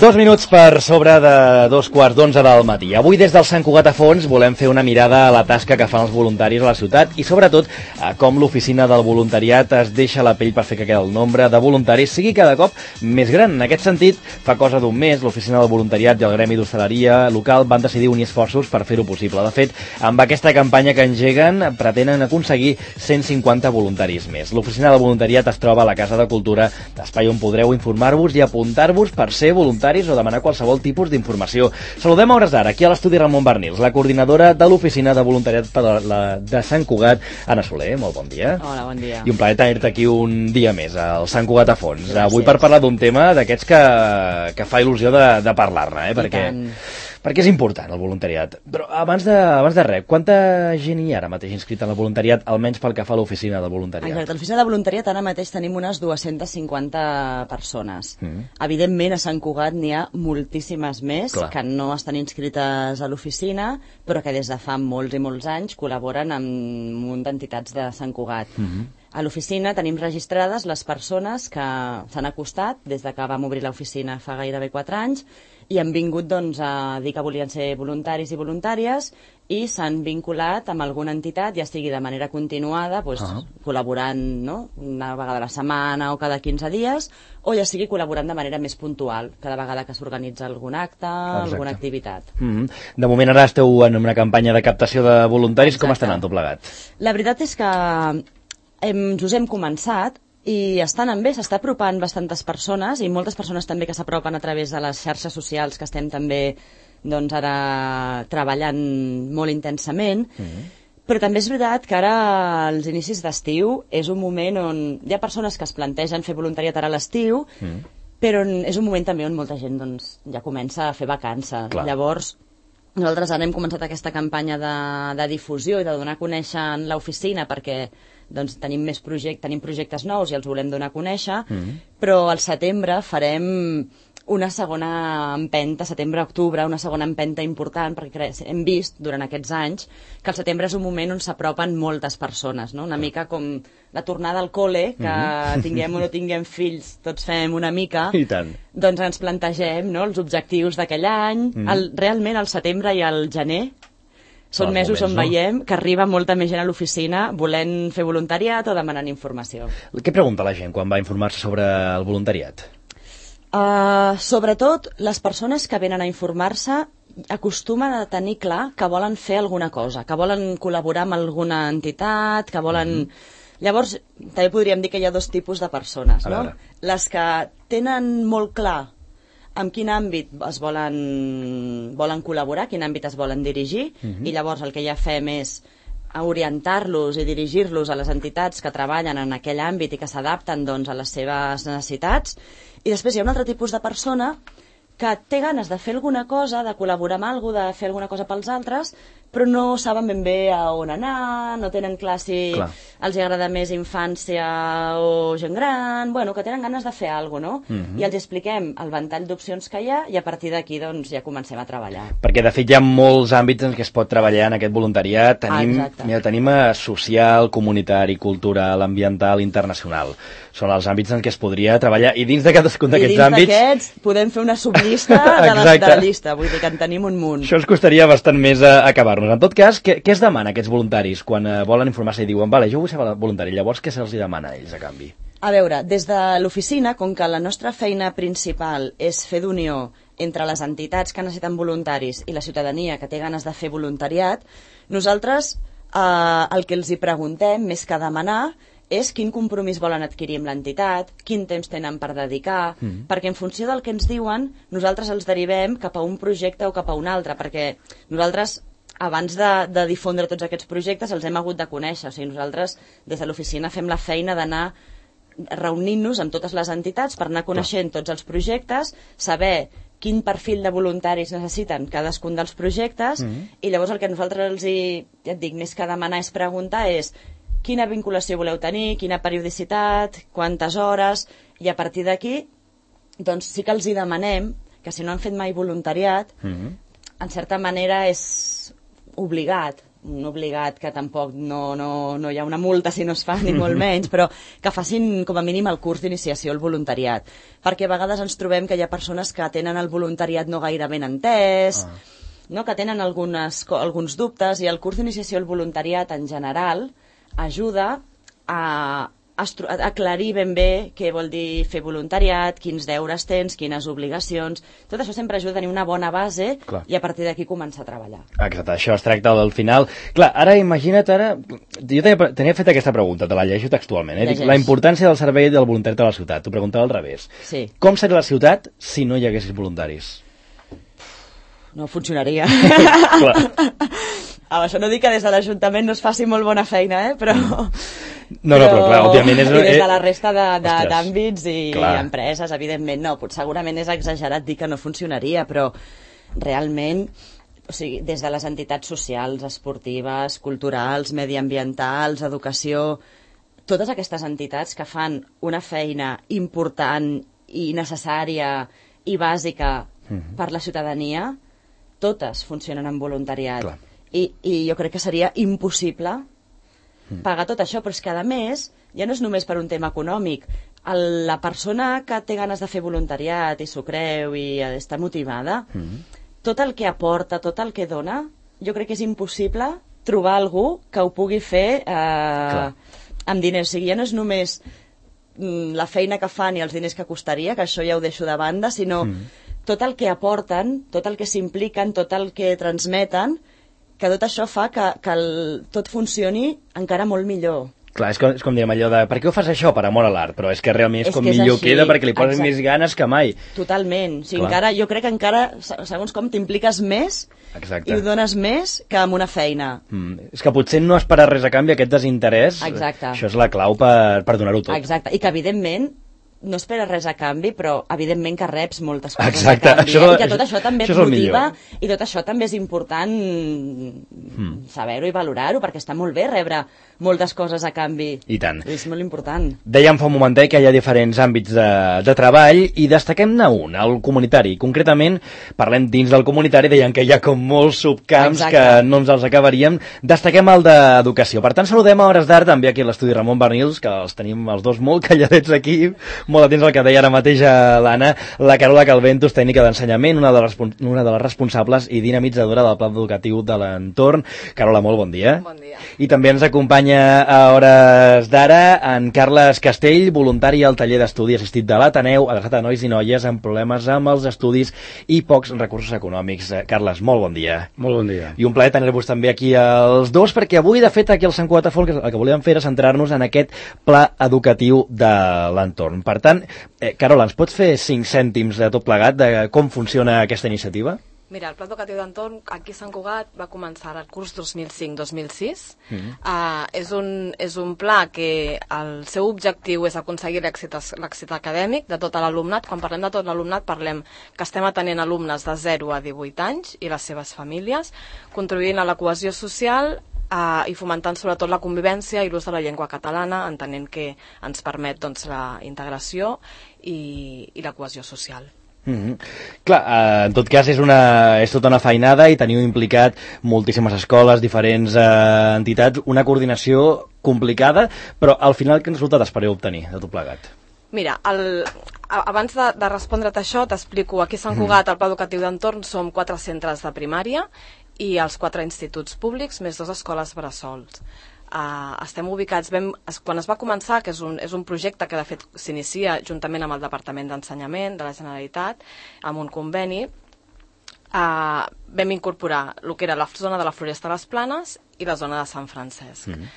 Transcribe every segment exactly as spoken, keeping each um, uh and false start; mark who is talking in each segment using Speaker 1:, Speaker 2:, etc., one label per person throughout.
Speaker 1: Dos minuts per sobre de dos quarts d'onze del matí. Avui des del Sant Cugat a Fons volem fer una mirada a la tasca que fan els voluntaris a la ciutat i sobretot a com l'oficina del voluntariat es deixa la pell per fer que el nombre de voluntaris sigui cada cop més gran. En aquest sentit, fa cosa d'un mes, l'oficina del voluntariat i el gremi d'hostaleria local van decidir unir esforços per fer-ho possible. De fet, amb aquesta campanya que engeguen pretenen aconseguir cent cinquanta voluntaris més. L'oficina del voluntariat es troba a la Casa de Cultura, espai on podreu informar-vos i apuntar-vos per ser voluntaris o demanar qualsevol tipus d'informació. Saludem a hores d'ara, aquí a l'estudi Ramon Barnils, la coordinadora de l'oficina de voluntariat per la, de Sant Cugat, Anna Soler. Molt bon dia.
Speaker 2: Hola, bon dia.
Speaker 1: I un plaer tenir-te aquí un dia més, al Sant Cugat a Fons. Gràcies. Avui per parlar d'un tema d'aquests que, que fa il·lusió de, de parlar-ne, eh? Perquè... Perquè és important el voluntariat. Però abans de, abans de res, quanta gent hi ha ara mateix inscrita en el voluntariat, almenys pel que fa a l'oficina del voluntariat?
Speaker 2: Exacte, a l'oficina de voluntariat ara mateix tenim unes dues-centes cinquanta persones. Mm. Evidentment, a Sant Cugat n'hi ha moltíssimes més. Clar. Que no estan inscrites a l'oficina, però que des de fa molts i molts anys col·laboren amb un munt d'entitats de Sant Cugat. Mm-hmm. A l'oficina tenim registrades les persones que s'han acostat des de que vam obrir l'oficina fa gairebé quatre anys i han vingut doncs, a dir que volien ser voluntaris i voluntàries i s'han vinculat amb alguna entitat, ja sigui de manera continuada, doncs, uh-huh. col·laborant, no? Una vegada a la setmana o cada quinze dies, o ja sigui col·laborant de manera més puntual, cada vegada que s'organitza algun acte, Exacte. alguna activitat.
Speaker 1: Mm-hmm. De moment ara esteu en una campanya de captació de voluntaris. Exacte. Com està anant tot plegat?
Speaker 2: La veritat és que hem, us hem començat i estan en bé, s'està apropant bastantes persones i moltes persones també que s'apropen a través de les xarxes socials que estem també doncs, ara treballant molt intensament. Mm-hmm. Però també és veritat que ara als inicis d'estiu és un moment on hi ha persones que es plantegen fer voluntariat ara a l'estiu, mm. però és un moment també on molta gent doncs, ja comença a fer vacances. Clar. Llavors, nosaltres ara hem començat aquesta campanya de, de difusió i de donar a conèixer l'oficina perquè doncs, tenim més projectes, tenim projectes nous i els volem donar a conèixer, mm. però al setembre farem una segona empenta, setembre-octubre, una segona empenta important, perquè hem vist durant aquests anys que el setembre és un moment on s'apropen moltes persones, no? Una mica com la tornada al col·le, que mm-hmm. tinguem o no tinguem fills, tots fem una mica,
Speaker 1: I tant.
Speaker 2: Doncs ens plantegem, no?, els objectius d'aquell any, mm. el, realment al setembre i al gener, són
Speaker 1: Els
Speaker 2: mesos
Speaker 1: moments,
Speaker 2: on
Speaker 1: no?
Speaker 2: veiem que arriba molta més gent a l'oficina volent fer voluntariat o demanant informació.
Speaker 1: Què pregunta la gent quan va informar-se sobre el voluntariat?
Speaker 2: Uh, sobretot, les persones que venen a informar-se acostumen a tenir clar que volen fer alguna cosa, que volen col·laborar amb alguna entitat, que volen... Mm-hmm. Llavors, també podríem dir que hi ha dos tipus de persones, no? Les que tenen molt clar en quin àmbit es volen, volen col·laborar, quin àmbit es volen dirigir, uh-huh. i llavors el que ja fem és orientar-los i dirigir-los a les entitats que treballen en aquell àmbit i que s'adapten doncs, a les seves necessitats. I després hi ha un altre tipus de persona que té ganes de fer alguna cosa, de col·laborar amb alguna cosa, de fer alguna cosa pels altres, però no saben ben bé a on anar, no tenen clar si clar. els agrada més infància o gent gran, bueno, que tenen ganes de fer alguna cosa, no? Mm-hmm. I els expliquem el ventall d'opcions que hi ha i a partir d'aquí doncs, ja comencem a treballar.
Speaker 1: Perquè de fet hi ha molts àmbits en què es pot treballar en aquest voluntariat. Tenim, ah, mira, tenim social, comunitari, cultural, ambiental, internacional. Són els àmbits en què es podria treballar i dins de cadascun d'aquests àmbits...
Speaker 2: I dins d'aquests podem fer una sublista de, la, de la llista, vull dir que en tenim un munt.
Speaker 1: Això ens costaria bastant més a acabar-nos. En tot cas, què, què es demana a aquests voluntaris quan uh, volen informar-se i diuen vale, jo vull ser voluntari, llavors què se'ls demana a ells a canvi?
Speaker 2: A veure, des de l'oficina, com que la nostra feina principal és fer d'unió entre les entitats que necessiten voluntaris i la ciutadania que té ganes de fer voluntariat, nosaltres eh, el que els hi preguntem, més que demanar, és quin compromís volen adquirir amb l'entitat, quin temps tenen per dedicar, mm. perquè en funció del que ens diuen, nosaltres els derivem cap a un projecte o cap a un altre, perquè nosaltres, abans de, de difondre tots aquests projectes, els hem hagut de conèixer. O sigui, nosaltres, des de l'oficina, fem la feina d'anar reunint-nos amb totes les entitats per anar coneixent tots els projectes, saber quin perfil de voluntaris necessiten cadascun dels projectes, mm. i llavors el que nosaltres els hi, ja et dic, més que demanar és preguntar és quina vinculació voleu tenir, quina periodicitat, quantes hores, i a partir d'aquí doncs sí que els hi demanem que si no han fet mai voluntariat, mm-hmm. en certa manera és obligat un obligat que tampoc no, no, no hi ha una multa si no es fa, ni molt menys, però que facin com a mínim el curs d'iniciació al voluntariat, perquè a vegades ens trobem que hi ha persones que tenen el voluntariat no gaire ben entès, ah. no? que tenen algunes, alguns dubtes, i el curs d'iniciació al voluntariat en general ajuda a aclarir ben bé què vol dir fer voluntariat, quins deures tens, quines obligacions. Tot això sempre ajuda a tenir una bona base. Clar. I a partir d'aquí començar a treballar.
Speaker 1: Exacte, això es tracta del final. Clar, ara imagina't, ara... Jo tenia, tenia fet aquesta pregunta, te la llegeixo textualment. Eh? La importància del servei del voluntariat a la ciutat. T'ho preguntava al revés.
Speaker 2: Sí.
Speaker 1: Com seria la ciutat si no hi haguessis voluntaris?
Speaker 2: No funcionaria.
Speaker 1: Clar.
Speaker 2: Amb això no dic que des de l'Ajuntament no es faci molt bona feina, eh? però...
Speaker 1: No, no, però clar, òbviament és...
Speaker 2: I des de la resta d'àmbits i clar. empreses, evidentment, no. Potser segurament és exagerat dir que no funcionaria, però realment, o sigui, des de les entitats socials, esportives, culturals, mediambientals, educació, totes aquestes entitats que fan una feina important i necessària i bàsica mm-hmm. per la ciutadania, totes funcionen en voluntariat. Clar. I, I jo crec que seria impossible pagar tot això, però és que, a més, ja no és només per un tema econòmic. El, la persona que té ganes de fer voluntariat i s'ho creu i està motivada, mm-hmm. tot el que aporta, tot el que dona, jo crec que és impossible trobar algú que ho pugui fer eh, amb diners. O sigui, ja no és només mm, la feina que fan i els diners que costaria, que això ja ho deixo de banda, sinó mm-hmm. tot el que aporten, tot el que s'impliquen, tot el que transmeten, que tot això fa que, que el, tot funcioni encara molt millor.
Speaker 1: Clar, és com, és com diem allò de per què ho fas això? Per amor a l'art, però és que realment és, és com millor
Speaker 2: així.
Speaker 1: Queda perquè li poses Exacte. Més ganes que mai.
Speaker 2: Totalment, o sigui, encara, jo crec que encara, segons com, t'impliques més Exacte. I ho dones més que amb una feina.
Speaker 1: Mm, és que potser no esperar res a canvi, aquest desinterès, Exacte. Això és la clau per, per donar-ho tot.
Speaker 2: Exacte, i que evidentment no esperes res a canvi, però evidentment que reps moltes coses
Speaker 1: Exacte.
Speaker 2: a canvi.
Speaker 1: Això,
Speaker 2: eh? I que tot això també
Speaker 1: això
Speaker 2: et motiva, i tot això també és important hmm. saber-ho i valorar-ho, perquè està molt bé rebre moltes coses a canvi.
Speaker 1: I tant.
Speaker 2: És molt important.
Speaker 1: Dèiem fa un momentet que hi ha diferents àmbits de, de treball i destaquem-ne un, el comunitari. Concretament, parlem dins del comunitari, deien que hi ha com molts subcamps Exacte. Que no ens els acabaríem. Destaquem el d'educació. Per tant, saludem a hores d'ara també aquí a l'estudi Ramon Bernils, que els tenim els dos molt calladets aquí, molt atents al que deia ara mateix a l'Anna, la Carola Calventos, tècnica d'ensenyament, una, de les, una de les responsables i dinamitzadora del pla educatiu de l'entorn. Carola, molt bon dia.
Speaker 3: Bon dia.
Speaker 1: I també ens acompanya a hores d'ara en Carles Castell, voluntari al taller d'estudi assistit de l'Ateneu, adreçat a nois i noies amb problemes amb els estudis i pocs recursos econòmics. Carles, molt bon dia.
Speaker 4: Molt bon dia.
Speaker 1: I un plaer tenir-vos també aquí els dos, perquè avui, de fet, aquí al Sant Cugat de Foc, el que volíem fer era centrar-nos en aquest pla educatiu de l'entorn. Per tant, eh, Carola, ens pots fer cinc cèntims de tot plegat de com funciona aquesta iniciativa?
Speaker 3: Mira, el Pla Educatiu d'Entorn aquí a Sant Cugat va començar el curs dos mil cinc dos mil sis. Mm-hmm. uh, és, un, és un pla que el seu objectiu és aconseguir l'èxit acadèmic de tot l'alumnat. Quan parlem de tot l'alumnat parlem que estem atenent alumnes de zero a divuit anys i les seves famílies, contribuint a la cohesió social uh, i fomentant sobretot la convivència i l'ús de la llengua catalana, entenent que ens permet doncs, la integració i, i la cohesió social.
Speaker 1: Mm-hmm. Clar, eh, en tot cas és, una, és tota una feinada i teniu implicat moltíssimes escoles, diferents eh, entitats, una coordinació complicada, però al final quin resultat espereu obtenir de tot plegat?
Speaker 3: Mira, el, abans de, de respondre't això t'explico, aquí a Sant Cugat al Pla Educatiu d'Entorn som quatre centres de primària i els quatre instituts públics més dues escoles bressols. Uh, estem ubicats, ben, es, quan es va començar, que és un, és un projecte que de fet s'inicia juntament amb el Departament d'Ensenyament de la Generalitat, amb un conveni, uh, vam incorporar el que era la zona de la Floresta de les Planes i la zona de Sant Francesc. Mm-hmm.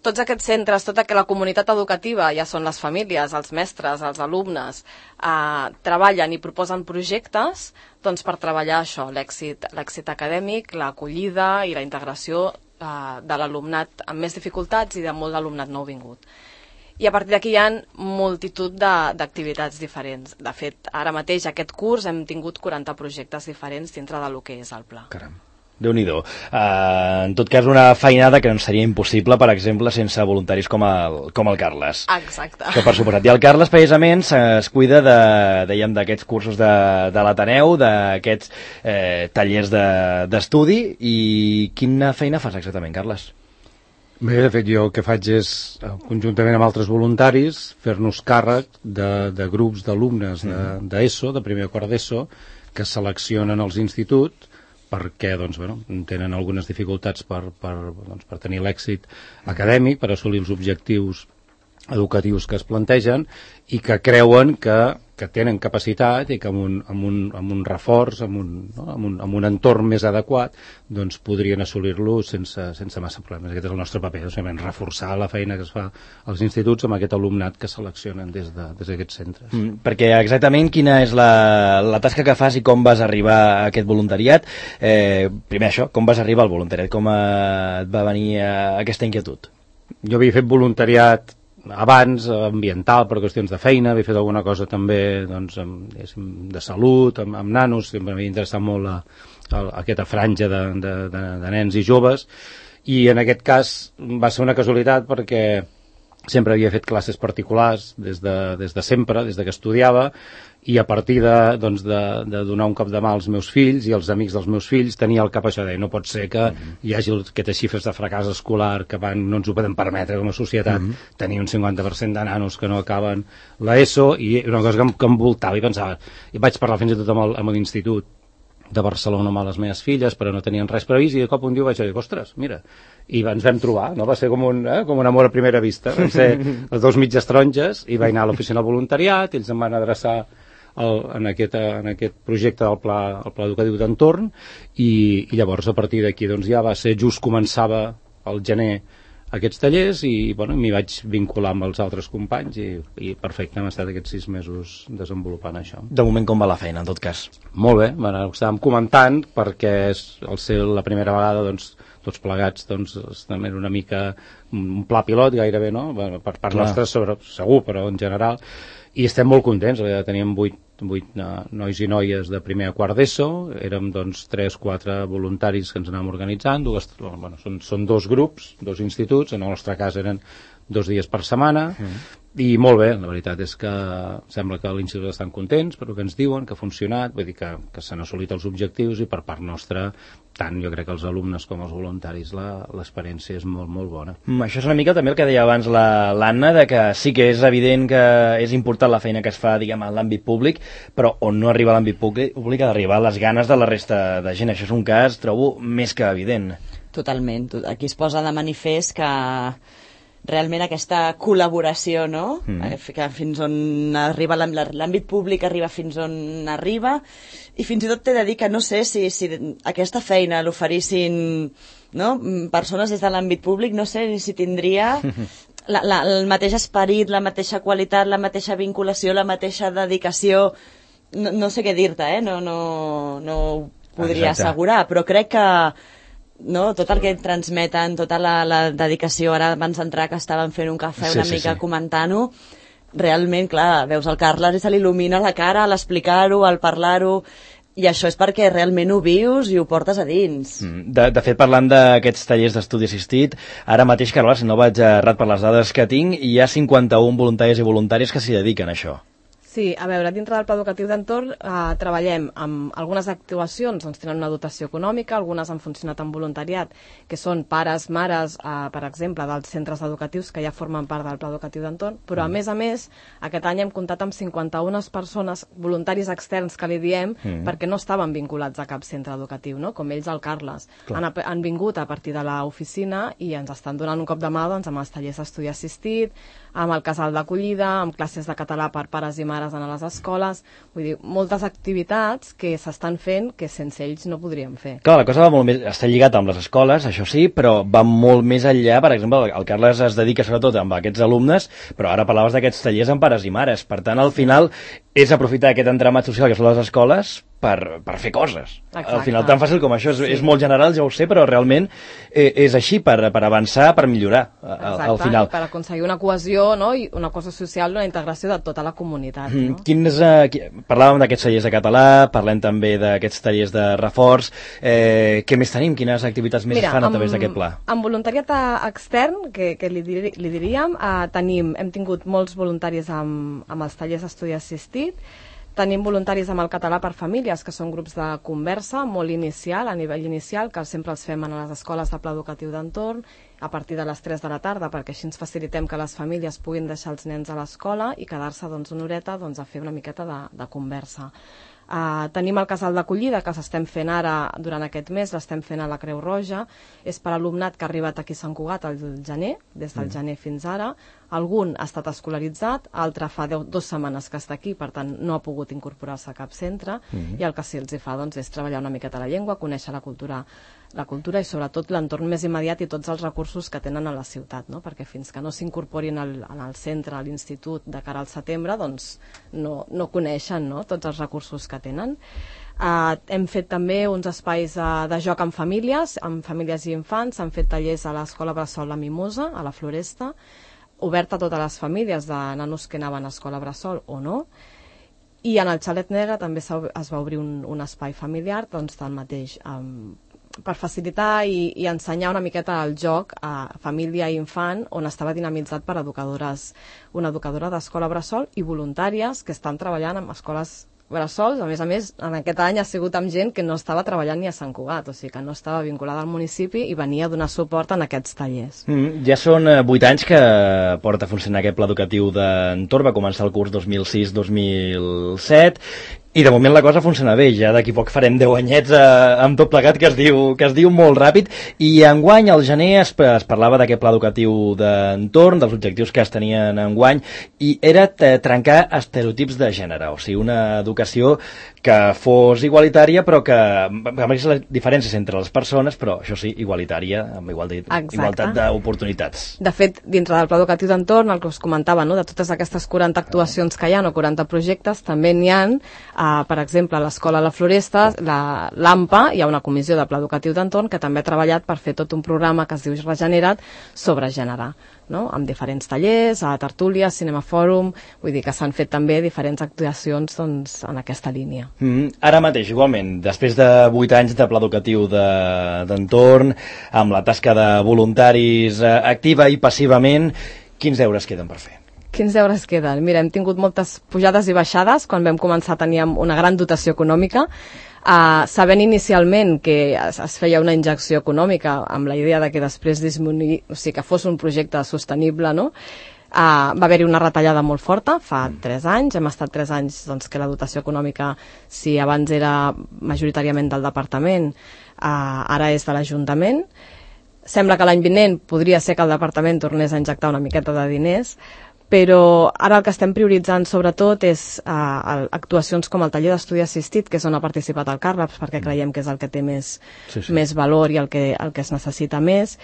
Speaker 3: Tots aquests centres, tota la comunitat educativa, ja són les famílies, els mestres, els alumnes, eh, treballen i proposen projectes doncs, per treballar això, l'èxit l'èxit acadèmic, l'acollida i la integració eh, de l'alumnat amb més dificultats i de molt d'alumnat nouvingut. I a partir d'aquí hi ha multitud d'activitats diferents. De fet, ara mateix, aquest curs, hem tingut quaranta projectes diferents dintre del que és el pla.
Speaker 1: Caram. Déu-n'hi-do. Uh, en tot cas, una feinada que no seria impossible, per exemple, sense voluntaris com el, com el Carles.
Speaker 3: Exacte.
Speaker 1: Que per suposat. I el Carles, precisament, es cuida de, dèiem, d'aquests cursos de, de l'Ateneu, d'aquests eh, tallers d'estudi, de, i quina feina fas exactament, Carles?
Speaker 4: Bé, de fet, jo el que faig és, conjuntament amb altres voluntaris, fer-nos càrrec de, de grups d'alumnes d'ESO, de, de, de primer o quart d'ESO, que seleccionen els instituts perquè doncs, bueno, tenen algunes dificultats per, per, doncs, per tenir l'èxit acadèmic, per assolir els objectius educatius que es plantegen i que creuen que, que tenen capacitat i que amb un, amb un, amb un reforç, amb un, no? amb, un, amb un entorn més adequat, doncs podrien assolir-lo sense, sense massa problemes. Aquest és el nostre paper, doncs, reforçar la feina que es fa als instituts amb aquest alumnat que seleccionen des d'aquests de, centres.
Speaker 1: Mm, perquè exactament quina és la, la tasca que fas i com vas arribar a aquest voluntariat? Eh, primer això, com vas arribar al voluntariat? Com eh, et va venir eh, aquesta inquietud?
Speaker 4: Jo havia fet voluntariat abans, ambiental, per qüestions de feina, havia fet alguna cosa també doncs, amb, de salut, amb, amb nanos, sempre m'havia interessat molt la, la, aquesta franja de, de, de, de nens i joves, i en aquest cas va ser una casualitat perquè sempre havia fet classes particulars des de, des de sempre, des de que estudiava, i a partir de, doncs, de, de donar un cop de mà als meus fills i als amics dels meus fills tenia el cap això de no pot ser que uh-huh. hi hagi aquestes xifres de fracàs escolar que van, no ens ho podem permetre com a societat, uh-huh. tenir un cinquanta per cent de nanos que no acaben l'ESO, i una cosa que em, que em voltava i pensava, i vaig parlar fins i tot amb l'institut de Barcelona amb les meves filles, però no tenien res previst, i de cop un dia vaig dir, ostres, mira, i ens vam trobar, no? Va ser com un, eh, com un amor a primera vista, vam ser les dos mitges taronges, i vaig anar a l'oficina del voluntariat, ells em van adreçar el, en, aquest, en aquest projecte del pla, el pla educatiu d'entorn, i, i llavors a partir d'aquí doncs ja va ser just començava el gener aquests tallers i bueno, m'hi vaig vincular amb els altres companys i, i perfecte, hem estat aquests sis mesos desenvolupant això.
Speaker 1: De moment com va la feina, en tot cas?
Speaker 4: Molt bé, bueno, ho estàvem comentant perquè és, al ser la primera vegada doncs, tots plegats doncs, també era una mica un pla pilot gairebé, no? Bueno, per part
Speaker 1: Clar.
Speaker 4: nostra sobre, segur, però en general, i estem molt contents, teníem vuit vuit nois i noies de primer a quart d'ESO, érem doncs tres quatre voluntaris que ens anàvem organitzant, dues, bueno, són, són dos grups, dos instituts, en el nostre cas eren dos dies per setmana, mm. i molt bé, la veritat és que sembla que a l'institut estan contents per el que ens diuen, que ha funcionat, vull dir que, que s'han assolit els objectius i per part nostra, tant jo crec que els alumnes com els voluntaris l'experiència és molt, molt bona.
Speaker 1: Mm, això és una mica també el que deia abans l'Anna, de que sí que és evident que és important la feina que es fa, diguem, en l'àmbit públic, però on no arriba a l'àmbit públic, públic ha d'arribar les ganes de la resta de gent. Això és un cas, trobo, més que evident.
Speaker 2: Totalment. Aquí es posa de manifest que realment aquesta col·laboració, no? Mm. Que fins on arriba l'àmbit públic, arriba fins on arriba, i fins i tot t'he de dir que no sé si, si aquesta feina l'oferissin, no? Persones des de l'àmbit públic, no sé si tindria la, la, el mateix esperit, la mateixa qualitat, la mateixa vinculació, la mateixa dedicació. No, no sé què dir-te, eh? No, no, no ho podria Exacte. assegurar, però crec que no, tot el que transmeten, tota la, la dedicació, ara abans d'entrar que estaven fent un cafè una sí, mica sí, sí. comentant-ho, realment, clar, veus el Carles i se l'il·lumina la cara a l'explicar-ho, al parlar-ho, i això és perquè realment ho vius i ho portes a dins.
Speaker 1: De, de fet, parlant d'aquests tallers d'estudi assistit, ara mateix, Carles, si no vaig errat per les dades que tinc, hi ha cinquanta-un voluntaris i voluntàries que s'hi dediquen a això.
Speaker 3: Sí, a veure, dintre del pla educatiu d'entorn eh, treballem amb algunes actuacions, doncs tenen una dotació econòmica, algunes han funcionat en voluntariat, que són pares, mares, eh, per exemple, dels centres educatius que ja formen part del pla educatiu d'entorn, però a més a més, aquest any hem comptat amb cinquanta-una persones, voluntaris externs que li diem, mm. perquè no estaven vinculats a cap centre educatiu, no? Com ells el Carles. Han, han vingut a partir de l'oficina i ens estan donant un cop de mà doncs, amb els tallers d'estudi assistit, amb el casal d'acollida, amb classes de català per pares i mares en les escoles, vull dir, moltes activitats que s'estan fent que sense ells no podríem fer.
Speaker 1: Clar, la cosa va molt més, està lligat amb les escoles, això sí, però va molt més enllà. Per exemple, el Carles es dedica sobretot amb aquests alumnes, però ara parlaves d'aquests tallers amb pares i mares, per tant, al final és aprofitar aquest entramat social que són les escoles per, per fer coses.
Speaker 3: Exacte.
Speaker 1: Al final, tan fàcil com això, és,
Speaker 3: Sí.
Speaker 1: és molt general, ja ho sé, però realment eh, és així, per, per avançar, per millorar al,
Speaker 3: Exacte,
Speaker 1: al final.
Speaker 3: i per aconseguir una cohesió, no? I una cosa social, una integració de tota la comunitat.
Speaker 1: Mm,
Speaker 3: No?
Speaker 1: Quins, eh, qui- parlàvem d'aquests tallers de català, parlem també d'aquests tallers de reforç. Eh, què més tenim? Quines activitats més
Speaker 3: Mira,
Speaker 1: es fan a
Speaker 3: amb-
Speaker 1: través d'aquest pla?
Speaker 3: Amb voluntariat eh, extern, que, que li, diri, li diríem, eh, tenim, hem tingut molts voluntaris amb, amb els tallers d'estudi assistit, tenim voluntaris amb el català per famílies, que són grups de conversa molt inicial, a nivell inicial, que sempre els fem a les escoles de pla educatiu d'entorn, a partir de les tres de la tarda, perquè així ens facilitem que les famílies puguin deixar els nens a l'escola i quedar-se doncs, una horeta doncs, a fer una miqueta de, de conversa. Uh, tenim el casal d'acollida que s'estem fent ara durant aquest mes, l'estem fent a la Creu Roja, és per alumnat que ha arribat aquí a Sant Cugat al gener, des del mm. gener fins ara. Algun ha estat escolaritzat, altre fa deu, dues setmanes que està aquí, per tant no ha pogut incorporar-se a cap centre, mm. i el que sí els hi fa doncs, és treballar una miqueta la llengua, conèixer la cultura, la cultura i sobretot l'entorn més immediat i tots els recursos que tenen a la ciutat, no? Perquè fins que no s'incorporin al, al centre, a l'institut de cara al setembre, doncs no, no coneixen, no? Tots els recursos que tenen. Uh, hem fet també uns espais uh, de joc amb famílies, amb famílies i infants, s'han fet tallers a l'escola Bressol La Mimosa, a la Floresta, obert a totes les famílies de nanos que anaven a escola Bressol o no, i en el Xalet Negre també es va obrir un, un espai familiar, doncs del mateix, um, per facilitar i, i ensenyar una miqueta el joc a família i infant, on estava dinamitzat per educadores, una educadora d'escola Bressol i voluntàries que estan treballant amb escoles Bressols. A més a més, en aquest any ha sigut amb gent que no estava treballant ni a Sant Cugat, o sigui que no estava vinculada al municipi i venia a donar suport en aquests tallers.
Speaker 1: Mm, ja són eh, vuit anys que porta a funcionar aquest pla educatiu d'entorn, va començar el curs dos mil sis dos mil set, i de moment la cosa funciona bé, ja d'aquí poc farem deu anyets eh, amb tot plegat, que es diu que es diu molt ràpid, i enguany al gener es, es parlava d'aquest pla educatiu d'entorn, dels objectius que es tenien enguany, i era trencar estereotips de gènere, o sigui, una educació que fos igualitària, però que amb les diferències entre les persones, però això sí, igualitària, amb igualtat, igualtat d'oportunitats.
Speaker 3: De fet, dintre del pla educatiu d'entorn, el que us comentava, no? De totes aquestes quaranta actuacions que hi ha, o quaranta projectes, també n'hi ha, Uh, per exemple, a l'escola La Floresta, la l'AMPA, hi ha una comissió de pla educatiu d'entorn que també ha treballat per fer tot un programa que es diu Regenera't sobre gènere, no? Amb diferents tallers, a tertúlies, cinema fòrum, vull dir que s'han fet també diferents actuacions doncs, en aquesta línia.
Speaker 1: Mm, ara mateix, igualment, després de vuit anys de pla educatiu d'entorn, de, amb la tasca de voluntaris eh, activa i passivament, quins deures queden per fer?
Speaker 3: Quins deures queden? Mira, hem tingut moltes pujades i baixades. Quan vam començar teníem una gran dotació econòmica, uh, sabent inicialment que es, es feia una injecció econòmica amb la idea de que després disminuir, o sigui, que fos un projecte sostenible, no? Uh, va haver-hi una retallada molt forta fa tres anys, hem estat tres anys doncs, que la dotació econòmica, si abans era majoritàriament del departament, uh, ara és de l'Ajuntament. Sembla que l'any vinent podria ser que el departament tornés a injectar una miqueta de diners, però ara el que estem prioritzant sobretot és uh, actuacions com el taller d'estudi assistit, que és on ha participat el Carles, perquè creiem que és el que té més, sí, sí. més valor i el que, el que es necessita més.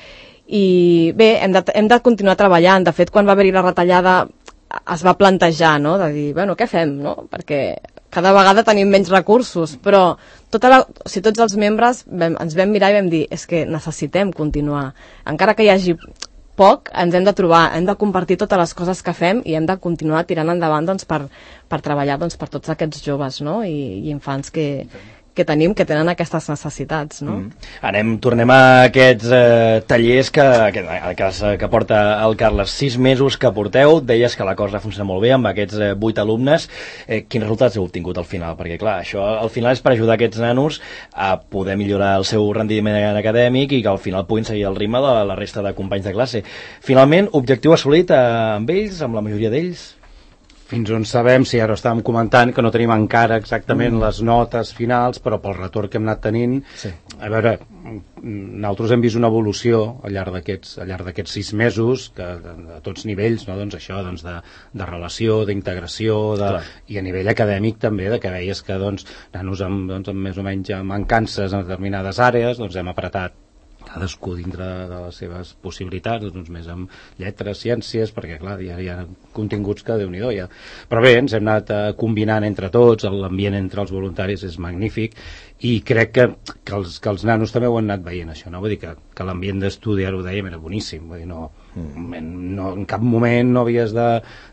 Speaker 3: I bé, hem de, hem de continuar treballant. De fet, quan va haver-hi la retallada es va plantejar, no?, de dir, bueno, què fem, no?, perquè cada vegada tenim menys recursos, però tota la, o sigui, tots els membres vam, ens vam mirar i vam dir, és que necessitem continuar, encara que hi hagi poc, ens hem de trobar, hem de compartir totes les coses que fem i hem de continuar tirant endavant doncs, per, per treballar doncs, per tots aquests joves, no? I, i infants que, que tenim, que tenen aquestes necessitats, no?
Speaker 1: Mm. Anem, tornem a aquests eh, tallers que, que, que, que porta el Carles. Sis mesos que porteu, deies que la cosa funciona molt bé amb aquests eh, vuit alumnes. Eh, quins resultats heu obtingut al final? Perquè, clar, això al final és per ajudar aquests nanos a poder millorar el seu rendiment acadèmic i que al final puguin seguir el ritme de la resta de companys de classe. Finalment, objectiu assolit eh, amb ells, amb la majoria d'ells?
Speaker 4: Fins on sabem, si ara estàvem comentant que no tenim encara exactament mm. les notes finals, però pel retorn que hem anat tenint, sí. A veure, nosaltres hem vist una evolució al llarg d'aquests al llarg d'aquests sis mesos, que a tots nivells, no? Doncs això, doncs de, de relació, d'integració, de, i a nivell acadèmic també, de que veies que doncs, nanos amb, doncs, amb més o menys mancances en determinades àrees, doncs hem apretat cadascú dintre de les seves possibilitats, uns més amb lletres, ciències, perquè clar, hi ha, hi ha continguts que Déu-n'hi-do ja. Però bé, ens hem anat eh, combinant entre tots, l'ambient entre els voluntaris és magnífic, i crec que, que, els, que els nanos també ho han anat veient, això, no? Vull dir que, que l'ambient d'estudi, ara ho dèiem, era boníssim, vull dir, no, no, en cap moment no havies de,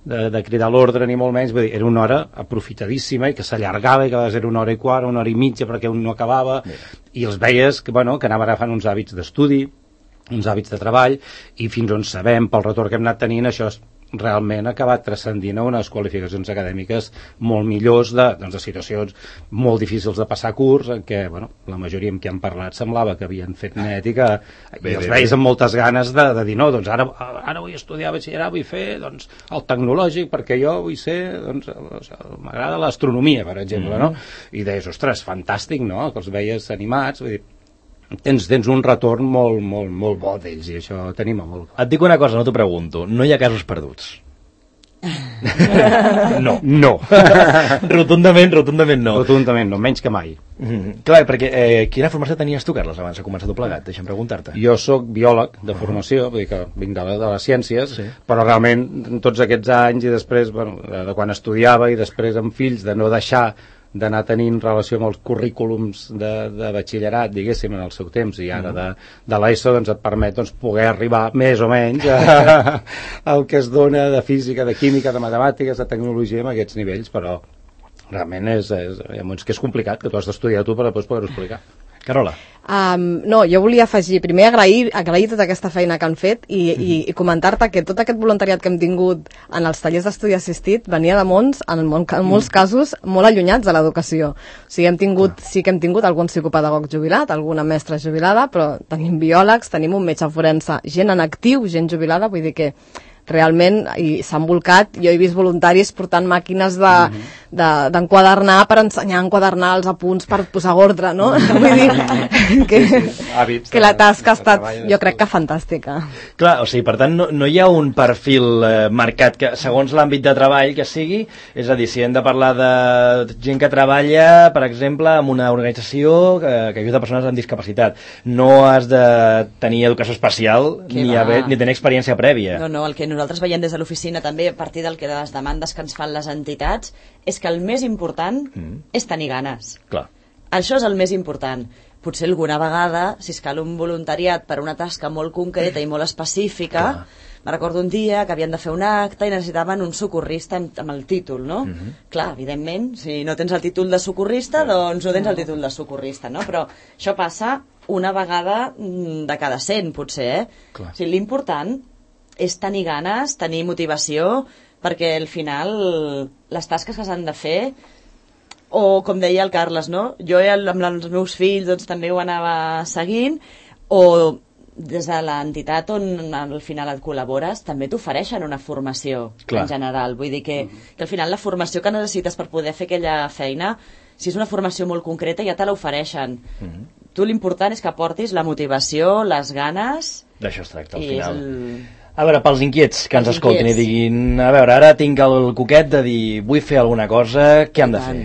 Speaker 4: de, de cridar l'ordre ni molt menys, vull dir, era una hora aprofitadíssima i que s'allargava i que era una hora i quart, una hora i mitja perquè un no acabava. Bé. I els veies que, bueno, que anaven agafant uns hàbits d'estudi, uns hàbits de treball, i fins on sabem, pel retorn que hem anat tenint, això realment ha acabat transcendint a unes qualificacions acadèmiques molt millors de, doncs, de situacions molt difícils de passar curs, en què, bueno, la majoria amb qui han parlat semblava que havien fet net i que bé, i els veis amb moltes ganes de, de dir, no, doncs ara, ara vull estudiar batxillerat, vull fer doncs, el tecnològic, perquè jo vull ser, doncs, o sigui, m'agrada l'astronomia, per exemple, mm-hmm. no? I deies, ostres, fantàstic, no?, que els veies animats, vull dir, Tens, tens un retorn molt, molt, molt bo d'ells, i això tenim molt.
Speaker 1: Et dic una cosa, no t'ho pregunto, no hi ha casos perduts?
Speaker 4: No, no.
Speaker 1: Rotundament, rotundament no.
Speaker 4: Rotundament no, menys que mai.
Speaker 1: Mm-hmm. Clar, perquè eh, quina formació tenies tu, Carles, abans de començar tot plegat? Deixa'm preguntar-te.
Speaker 4: Jo sóc biòleg de formació, vull dir que vinc de, la, de les ciències, sí. Però realment tots aquests anys i després, bueno, de quan estudiava i després amb fills, de no deixar d'anar tenint relació amb els currículums de, de batxillerat, diguéssim, en el seu temps, i ara de, de l'ESO doncs, et permet doncs, poder arribar més o menys a, al que es dona de física, de química, de matemàtiques, de tecnologia en aquests nivells, però realment és, és, és que és complicat, que tu has d'estudiar tu per després poder-ho explicar.
Speaker 1: Carola.
Speaker 5: Um, no, jo volia afegir, primer agrair, agrair tota aquesta feina que han fet i, mm. i, i comentar-te que tot aquest voluntariat que hem tingut en els tallers d'estudi assistit venia de mons, en, en, en molts mm. casos, molt allunyats de l'educació. O sigui, hem tingut, ah. sí que hem tingut algun psicopedagog jubilat, alguna mestra jubilada, però tenim biòlegs, tenim un metge forense, gent en actiu, gent jubilada, vull dir que realment i s'han volcat, jo he vist voluntaris portant màquines de, de, d'enquadernar per ensenyar a enquadernar els apunts per posar ordre, no? Vull dir que, Hàbits que la tasca ha estat, jo crec que fantàstica.
Speaker 1: Clar, o sigui, per tant, no, no hi ha un perfil eh, marcat que, segons l'àmbit de treball que sigui, és a dir, si hem de parlar de gent que treballa, per exemple, en una organització que, que ajuda persones amb discapacitat, no has de tenir educació especial ni, haver, ni tenir experiència prèvia.
Speaker 2: No, no, el que nosaltres veiem des de l'oficina també a partir del que de les demandes que ens fan les entitats és que el més important mm. és tenir ganes.
Speaker 1: Clar.
Speaker 2: Això és el més important. Potser alguna vegada, si es cal un voluntariat per una tasca molt concreta i molt específica, clar. Me recordo un dia que havien de fer un acte i necessitaven un socorrista amb, amb el títol, no? Mm-hmm. Clar, evidentment, si no tens el títol de socorrista, doncs no tens el títol de socorrista, no? Però això passa una vegada de cada cent, potser, eh? Clar. O sigui, l'important és tenir ganes, tenir motivació, perquè al final les tasques que s'han de fer, o com deia el Carles, no? Jo amb els meus fills doncs, també ho anava seguint, o des de l'entitat on al final et col·labores també t'ofereixen una formació. Clar. En general. Vull dir que, que al final la formació que necessites per poder fer aquella feina, si és una formació molt concreta ja te l'ofereixen. Mm-hmm. Tu l'important és que aportis la motivació, les ganes...
Speaker 1: D'això es tracta al final. El... A veure, pels inquiets que ens escoltin i diguin, a veure, ara tinc el coquet de dir vull fer alguna cosa, què han de fer?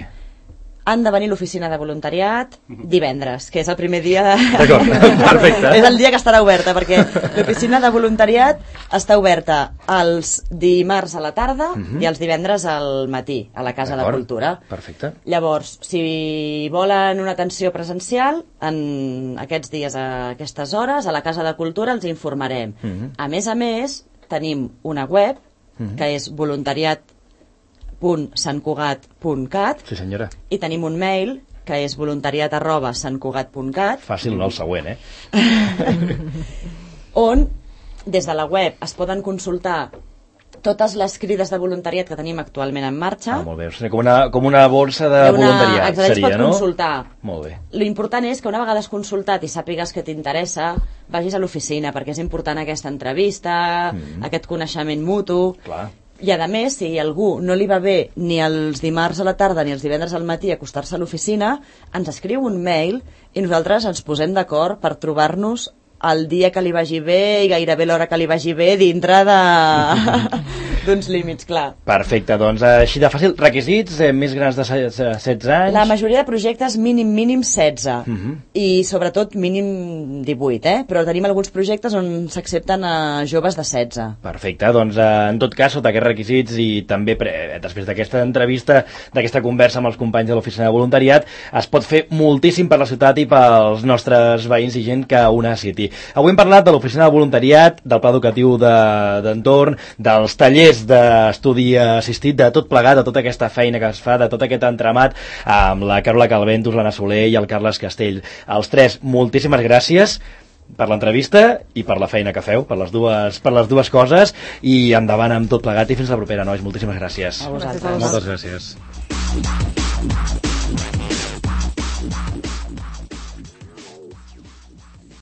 Speaker 2: Han de venir a l'oficina de voluntariat divendres, que és el primer dia de...
Speaker 1: D'acord, perfecte.
Speaker 2: És el dia que estarà oberta, perquè l'oficina de voluntariat està oberta els dimarts a la tarda uh-huh. i els divendres al matí, a la Casa de Cultura.
Speaker 1: Perfecte.
Speaker 2: Llavors, si volen una atenció presencial, en aquests dies, a aquestes hores, a la Casa de Cultura els informarem. Uh-huh. A més a més, tenim una web, uh-huh. que és voluntariat punt sant cugat punt cat.
Speaker 1: Sí, senyora.
Speaker 2: I tenim un mail que és voluntariat arroba sant cugat punt cat.
Speaker 1: Fàcil, no el següent, eh?
Speaker 2: On, des de la web, es poden consultar totes les crides de voluntariat que tenim actualment en marxa.
Speaker 1: Ah, molt bé. O sigui, com, una, com una borsa de una, voluntariat
Speaker 2: exacte,
Speaker 1: seria,
Speaker 2: pot
Speaker 1: no?
Speaker 2: Consultar.
Speaker 1: Molt bé.
Speaker 2: L'important és que una vegada has consultat i sàpigues que t'interessa, vagis a l'oficina, perquè és important aquesta entrevista, mm. aquest coneixement mutu...
Speaker 1: Clar.
Speaker 2: I a més, si algú no li va bé ni els dimarts a la tarda ni els divendres al matí acostar-se a l'oficina, ens escriu un mail i nosaltres ens posem d'acord per trobar-nos el dia que li vagi bé i gairebé l'hora que li vagi bé dintre de... d'uns límits, clar.
Speaker 1: Perfecte, doncs així de fàcil. Requisits, eh, més grans de setze anys?
Speaker 2: La majoria de projectes mínim, mínim setze.
Speaker 1: Uh -huh.
Speaker 2: I sobretot mínim divuit, eh? Però tenim alguns projectes on s'accepten a joves de setze.
Speaker 1: Perfecte, doncs eh, en tot cas, sota aquests requisits i també pre, després d'aquesta entrevista, d'aquesta conversa amb els companys de l'Oficina de Voluntariat, es pot fer moltíssim per la ciutat i pels nostres veïns i gent que ho necessiti. Avui hem parlat de l'Oficina de Voluntariat, del Pla Educatiu d'entorn, de, dels tallers d'estudi assistit, de tot plegat, de tota aquesta feina que es fa, de tot aquest entramat, amb la Carola Calventus, l'Anna Soler i el Carles Castell. Els tres, moltíssimes gràcies per l'entrevista i per la feina que feu, per les dues, per les dues coses, i endavant amb tot plegat i fins la propera, nois. Moltíssimes gràcies.
Speaker 2: A vosaltres.
Speaker 4: Moltes gràcies.